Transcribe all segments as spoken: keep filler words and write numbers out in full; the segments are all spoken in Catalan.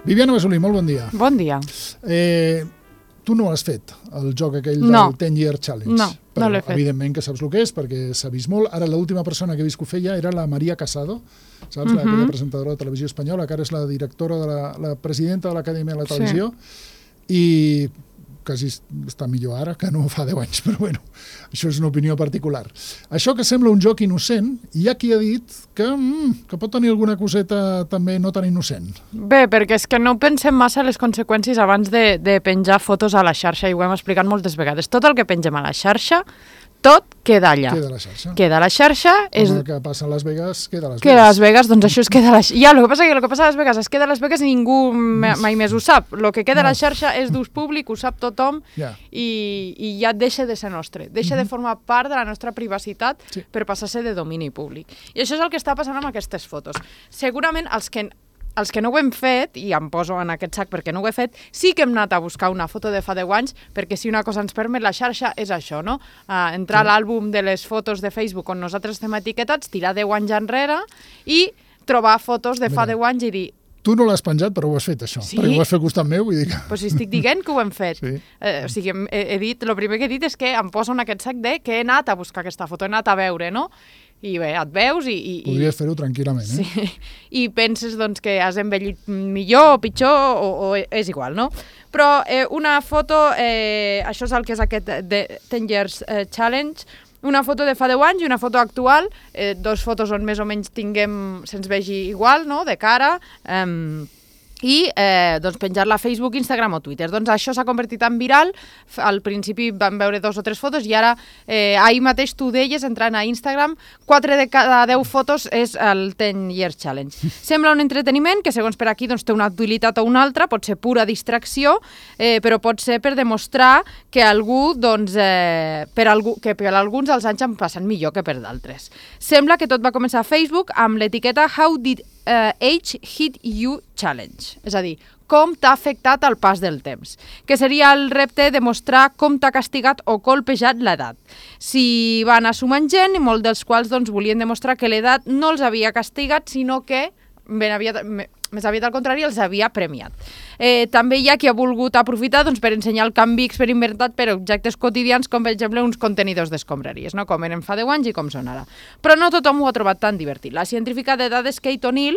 Viviana Besolí, molt bon dia. Bon dia. Eh, tu no has fet el joc aquell no. del ten year challenge. No, però, no l'he fet. Evidentment que saps el que és, perquè s'ha vist molt. Ara l'última persona que he vist que ho feia era la Maria Casado, saps? Uh-huh. Aquella presentadora de televisió espanyola, que ara és la directora, de la, la presidenta de l'Acadèmia de la Televisió, sí. i quasi està millor ara que no fa deu anys, però bueno, això és una opinió particular. Això que sembla un joc innocent, hi ha qui ha dit que, mm, que pot tenir alguna coseta també no tan innocent. Bé, perquè és que no pensem massa les conseqüències abans de, de penjar fotos a la xarxa, i ho hem explicat moltes vegades. Tot el que pengem a la xarxa, tot queda allà. Queda a la xarxa. Queda a la xarxa. Com és... el que passa a Las Vegas, queda a Las Vegas. Queda a Las Vegas, doncs això es queda a la xarxa. Ja, el que passa que el que passa a Las Vegas es queda a Las Vegas i ningú mai més ho sap. El que queda no. a la xarxa és d'ús públic, ho sap tothom, yeah. i, i ja deixa de ser nostre. Deixa mm-hmm. de formar part de la nostra privacitat sí. per passar-se de domini públic. I això és el que està passant amb aquestes fotos. Segurament els que... Els que no ho hem fet, i em poso en aquest sac perquè no ho he fet, sí que hem anat a buscar una foto de fa deu anys, perquè si una cosa ens permet la xarxa és això, no? Uh, entrar sí. a l'àlbum de les fotos de Facebook on nosaltres estem etiquetats, tirar deu anys enrere i trobar fotos de fa deu anys i dir... Tu no l'has penjat, però ho has fet, això. Sí? Perquè ho has fet costat meu, vull dir que... Pues si estic dient que ho hem fet. Sí. Eh, o sigui, he, he dit, el primer que he dit és que em poso en aquest sac de que he anat a buscar aquesta foto, he anat a veure, no? I bé, et veus i... i Podries fer-ho tranquil·lament, eh? Sí, i penses doncs, que has envellit millor o pitjor, o, o és igual, no? Però eh, una foto, eh, això és el que és aquest ten years eh, challenge, una foto de fa deu anys i una foto actual, eh, dos fotos on més o menys tinguem, se'ns vegi igual, no?, de cara, eh, i eh, doncs penjar-la a Facebook, Instagram o Twitter. Doncs això s'ha convertit en viral, al principi vam veure dos o tres fotos i ara eh, ahir mateix tu deies, entrant a Instagram, quatre de cada deu fotos és el ten years challenge. Sembla un entreteniment que segons per aquí doncs, té una utilitat o una altra, pot ser pura distracció, eh, però pot ser per demostrar que algú, doncs, eh, per, algú, que per alguns els anys han passat millor que per d'altres. Sembla que tot va començar a Facebook amb l'etiqueta How did Uh, Age Hit You Challenge, és a dir, com t'ha afectat el pas del temps, que seria el repte de mostrar com t'ha castigat o colpejat l'edat. Si van anar sumant gent, molts dels quals doncs, volien demostrar que l'edat no els havia castigat, sinó que ben aviat, més aviat al contrari, els havia premiat. Eh, també hi ha qui ha volgut aprofitar doncs, per ensenyar el canvi experimentat per objectes quotidians, com per exemple uns contenidors d'escombraries, no? Com eren fa deu anys i com són ara. Però no tothom ho ha trobat tan divertit. La científica de dades Kate O'Neill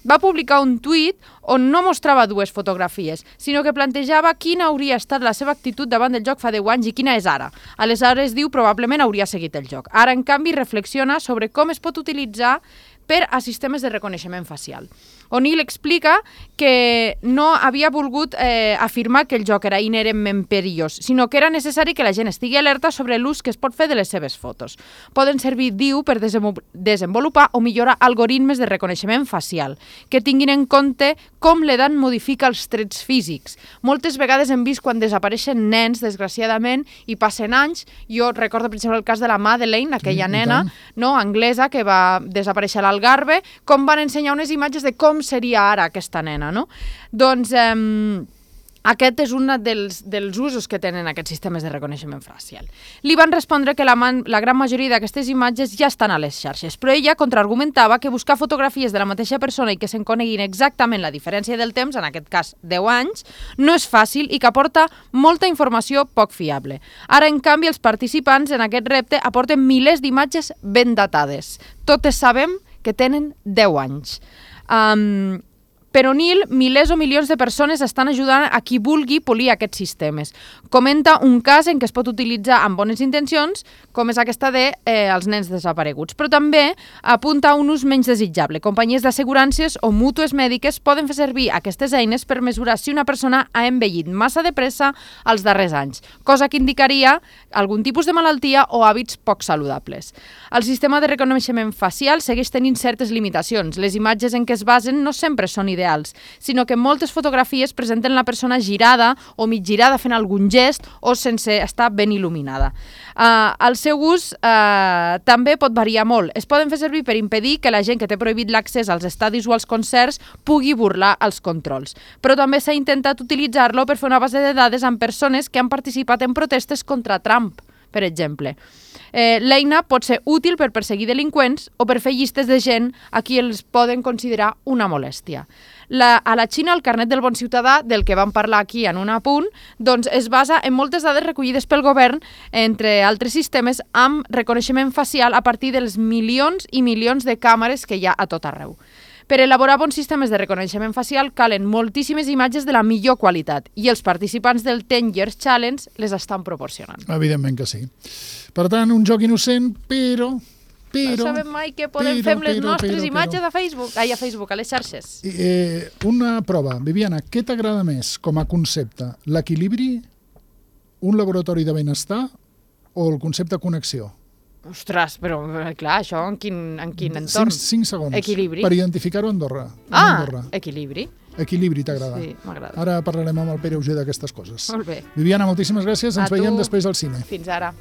va publicar un tuit on no mostrava dues fotografies, sinó que plantejava quina hauria estat la seva actitud davant del joc fa deu anys i quina és ara. Aleshores, diu, probablement hauria seguit el joc. Ara, en canvi, reflexiona sobre com es pot utilitzar per a sistemes de reconeixement facial. O'Neill explica que no havia volgut eh, afirmar que el joc era inherentment perillós, sinó que era necessari que la gent estigui alerta sobre l'ús que es pot fer de les seves fotos. Poden servir, diu, per desenvolupar o millorar algoritmes de reconeixement facial, que tinguin en compte com l'edat modifica els trets físics. Moltes vegades hem vist quan desapareixen nens, desgraciadament, i passen anys. Jo recordo, per exemple, el cas de la Madeleine, aquella sí, nena no, anglesa que va desaparèixer a l'Algarve, com van ensenyar unes imatges de com seria ara aquesta nena, no? Doncs eh, aquest és un dels, dels usos que tenen aquests sistemes de reconeixement facial. Li van respondre que la, man, la gran majoria d'aquestes imatges ja estan a les xarxes, però ella contraargumentava que buscar fotografies de la mateixa persona i que se'n coneguin exactament la diferència del temps, en aquest cas deu anys, no és fàcil i que aporta molta informació poc fiable. Ara, en canvi, els participants en aquest repte aporten milers d'imatges ben datades. Totes sabem que tenen deu anys. Um, per O'Neill, milers o milions de persones estan ajudant a qui vulgui polir aquests sistemes. Comenta un cas en què es pot utilitzar amb bones intencions, com és aquesta de eh, els nens desapareguts, però també apunta a un ús menys desitjable. Companyies d'assegurances o mútues mèdiques poden fer servir aquestes eines per mesurar si una persona ha envellit massa de pressa els darrers anys, cosa que indicaria algun tipus de malaltia o hàbits poc saludables. El sistema de reconeixement facial segueix tenint certes limitacions. Les imatges en què es basen no sempre són ideals, sinó que moltes fotografies presenten la persona girada o mig girada fent algun gest o sense estar ben il·luminada. Uh, el seu ús uh, també pot variar molt. Es poden fer servir per impedir que la gent que té prohibit l'accés als estadis o als concerts pugui burlar els controls. Però també s'ha intentat utilitzar-lo per fer una base de dades amb persones que han participat en protestes contra Trump, per exemple. Eh, L'eina pot ser útil per perseguir delinqüents o per fer llistes de gent a qui els poden considerar una molèstia. La, a la Xina, el carnet del bon ciutadà, del que vam parlar aquí en un apunt, doncs es basa en moltes dades recollides pel govern, entre altres sistemes, amb reconeixement facial a partir dels milions i milions de càmeres que hi ha a tot arreu. Per elaborar bons sistemes de reconeixement facial calen moltíssimes imatges de la millor qualitat i els participants del ten years challenge les estan proporcionant. Evidentment que sí. Per tant, un joc innocent, però... però no sabem mai què podem però, fer amb les però, nostres però, imatges però. a Facebook, ai, a Facebook, a les xarxes. Eh, una prova. Viviana, què t'agrada més com a concepte? L'equilibri, un laboratori de benestar o el concepte connexió? Ostres, però clar, això en quin, en quin entorn? Cinc, cinc segons. Equilibri. Per identificar-ho a Andorra. Ah, Andorra. equilibri. Equilibri, t'agrada? Sí, m'agrada. Ara parlarem amb el Pere Auger d'aquestes coses. Molt bé. Viviana, moltíssimes gràcies. Ens A veiem tu. després al cine. Fins ara.